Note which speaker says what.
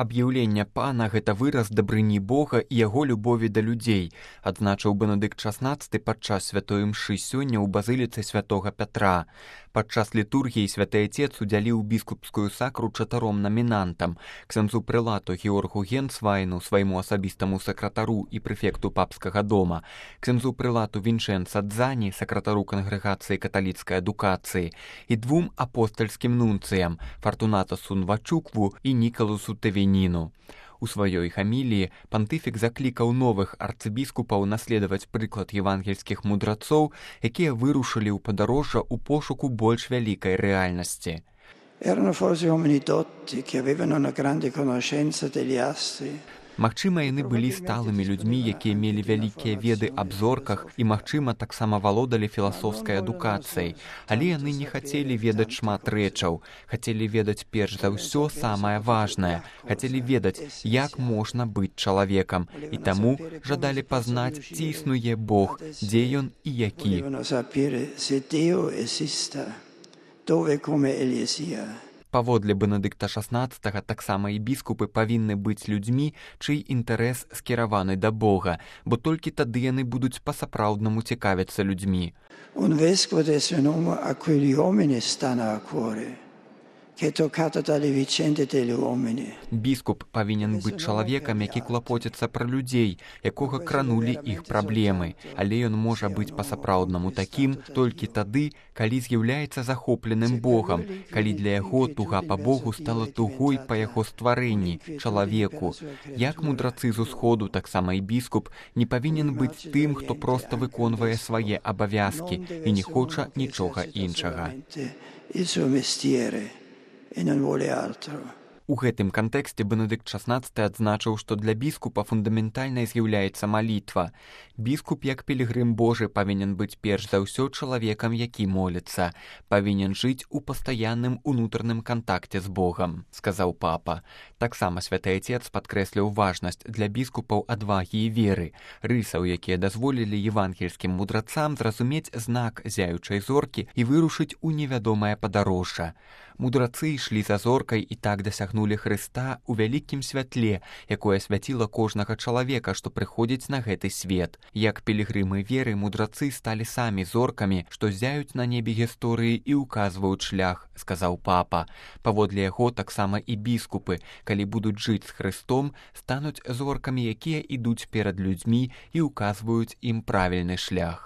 Speaker 1: Аб'яўленне пана – гэта выраз дабрыні Бога і яго любові да людзей, адзначыў Бенедыкт XVI падчас святой імшы сёння ў базыліцы святога Пятра. Падчас літургіі святы Отец удзяліў біскупскую сакру 4 намінантам – ксяндзу прэлату Георгу Генцвайну, свайму асабістаму сакратару і прэфекту папскага дома, ксяндзу прэлату Вінчэнца Дзані, сакратару кангрэгацыі каталіцкай адукацыі, і 2 апостальскім нунцыям – Фартунатасу Нвачукву і Нікаласу Тэвеніну. У сваёй хаміліі пантыфік заклікаў новых арцыбіскупаў наследаваць прыклад евангельскіх мудрацоў, якія вырушылі ў падарожжа ў пошуку больш вялікай рэальнасці.
Speaker 2: Erano forse uomini dotti che avevano una grande conoscenza degli astri.
Speaker 1: Магчыма, яны былі сталымі людзьмі, якія мелі вялікія веды аб зорках і, магчыма, таксама валодалі філасофскай адукацыяй, але яны не хацелі ведаць шмат рэчаў, хацелі ведаць перш за ўсё самае важнае, хацелі ведаць, як можна быць чалавекам, і таму жадалі пазнаць, ці існуе Бог, дзе ён і які. Паводле Бенедыкта XVI таксама і біскупы павінны быць людзьмі, чый інтарэс скіраваны да Бога, бо толькі тады яны будуць па-сапраўднаму цікавіцца людзьмі.
Speaker 2: Un vescovo deve essere un uomo a cui gli uomini stanno a cuore, che è toccato dalle vicende degli uomini.
Speaker 1: Біскуп павінен быць чалавекам, які клапоціцца пра людзей, якога кранулі іх праблемы, але ён можа быць па-сапраўднаму такім толькі тады, калі з'яўляецца захопленым Богам, калі для яго туга па Богу стала тугой па яго стварэнні, чалавеку. Як мудрацы з усходу, таксама і біскуп не павінен быць тым, хто проста выконвае свае абавязкі і не хоча нічога іншага. У гэтым кантэксце Бенедыкт XVI адзначыў, што для біскупа фундаментальнай з'яўляецца малітва. Біскуп, як пілігрым Божы, павінен быць перш за ўсё чалавекам, які моліцца, павінен жыць у пастаянным унутраным кантакце з Богам, сказаў папа. Таксама святы Отец падкрэсліў важнасць для біскупаў адвагі і веры, рысаў, якія дазволілі евангельскім мудрацам зразумець знак зяючай зоркі і вырушыць у невядомае падарожжа. Мудрацы ішлі за зоркай і так дасягнулі Хрыста ў вялікім святле, якое свяціла кожнага чалавека, што прыходзіць на гэты свет. Як пілігрымы веры, мудрацы сталі самі зоркамі, што зяюць на небе гісторыі і ўказваюць шлях, сказаў папа. Паводле яго таксама і біскупы, калі будуць жыць з Хрыстом, стануць зоркамі, якія ідуць перад людзьмі і ўказваюць ім правільны шлях.